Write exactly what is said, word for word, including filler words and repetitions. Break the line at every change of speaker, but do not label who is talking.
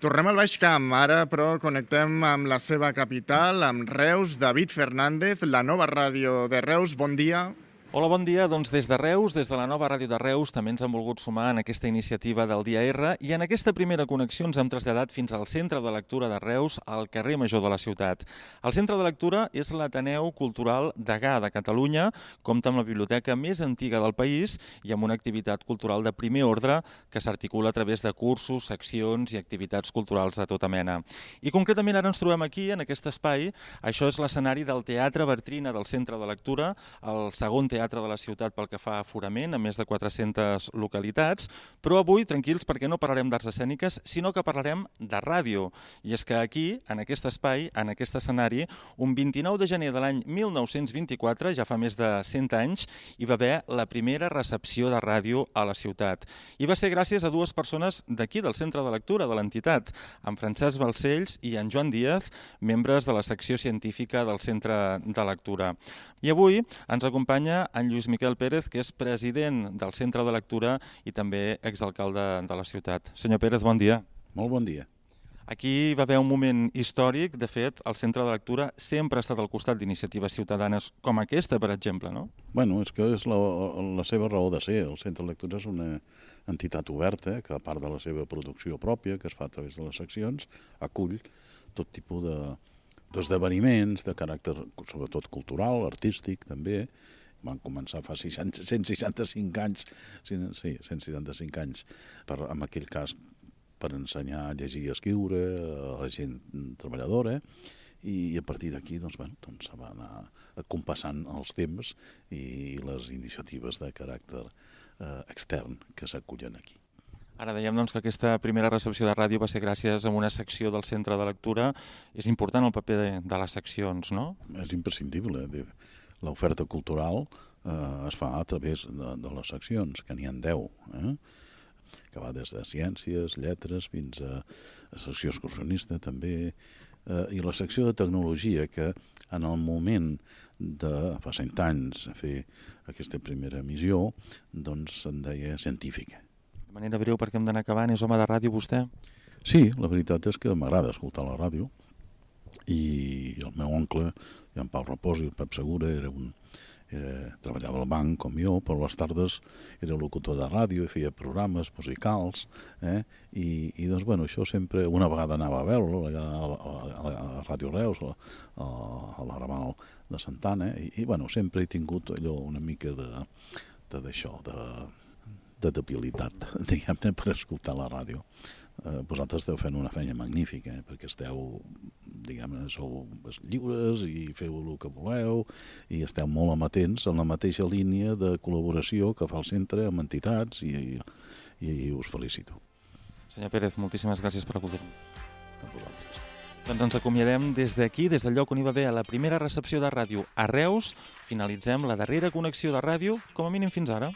Tornem al Baix Camp, ara però connectem amb la seva capital, amb Reus. David Fernández, la nova ràdio de Reus, bon dia.
Hola, bon dia. Doncs des de Reus, des de la nova ràdio de Reus, també ens han volgut sumar en aquesta iniciativa del Dia R i en aquesta primera connexió ens hem traslladat fins al Centre de Lectura de Reus, al carrer Major de la ciutat. El Centre de Lectura és l'Ateneu Cultural Degà de Catalunya, compta amb la biblioteca més antiga del país i amb una activitat cultural de primer ordre que s'articula a través de cursos, seccions i activitats culturals de tota mena. I concretament ara ens trobem aquí, en aquest espai. Això és l'escenari del Teatre Bartrina del Centre de Lectura, el segon teatre de la ciutat pel que fa a aforament, a més de quatre-centes localitats, però avui, tranquils, perquè no parlarem d'arts escèniques, sinó que parlarem de ràdio. I és que aquí, en aquest espai, en aquest escenari, un vint-i-nou de gener de l'any mil nou-cents vint-i-quatre, ja fa més de cent anys, hi va haver la primera recepció de ràdio a la ciutat. I va ser gràcies a dues persones d'aquí, del Centre de Lectura de l'entitat, en Francesc Balcells i en Joan Díaz, membres de la secció científica del Centre de Lectura. I avui ens acompanya en Lluís Miquel Pérez, que és president del Centre de Lectura i també exalcalde de la ciutat. Senyor Pérez, bon dia.
Molt bon dia.
Aquí va haver un moment històric. De fet, el Centre de Lectura sempre ha estat al costat d'iniciatives ciutadanes com aquesta, per exemple, no?
Bueno, és que és la, la seva raó de ser. El Centre de Lectura és una entitat oberta que, a part de la seva producció pròpia, que es fa a través de les seccions, acull tot tipus de d'esdeveniments de caràcter, sobretot cultural, artístic, també. Van començar fa cent seixanta-cinc anys, sí, cent seixanta-cinc anys, per, en aquell cas, per ensenyar a llegir i a escriure a la gent treballadora, i a partir d'aquí doncs, bueno, doncs, se va anar compassant els temps i les iniciatives de caràcter eh, extern que s'acullen aquí.
Ara dèiem doncs, que aquesta primera recepció de ràdio va ser gràcies a una secció del Centre de Lectura. És important el paper de, de les seccions, no?
És imprescindible. L'oferta cultural eh, es fa a través de, de les seccions, que n'hi ha deu, eh? Que va des de ciències, lletres, fins a, a secció excursionista també, eh, i la secció de tecnologia, que en el moment de fa cent anys fer aquesta primera emissió, doncs se'n deia científica.
De manera breu, perquè hem d'anar acabant, és home de ràdio vostè?
Sí, la veritat és que m'agrada escoltar la ràdio, i el meu oncle, en Pau Repòs i el Pep Segura, era un, era, treballava al banc com jo, però a les tardes era locutor de ràdio i feia programes musicals, eh? I, i doncs, bueno, això sempre, una vegada anava a veure-lo allà a, a, a, a Ràdio Reus, a, a, a la Raval de Santana, i, i bueno, sempre he tingut allò una mica de d'això, de, de debilitat, diguem-ne, per escoltar la ràdio. Eh, vosaltres esteu fent una feina magnífica, eh, perquè esteu, diguem-ne, sou lliures i feu el que voleu i esteu molt amatents en la mateixa línia de col·laboració que fa el centre amb entitats i, i, i us felicito.
Senyor Pérez, moltíssimes gràcies per acollir-nos.
A vosaltres.
Doncs ens acomiadem des d'aquí, des del lloc on hi va haver la primera recepció de ràdio a Reus. Finalitzem la darrera connexió de ràdio, com a mínim fins ara.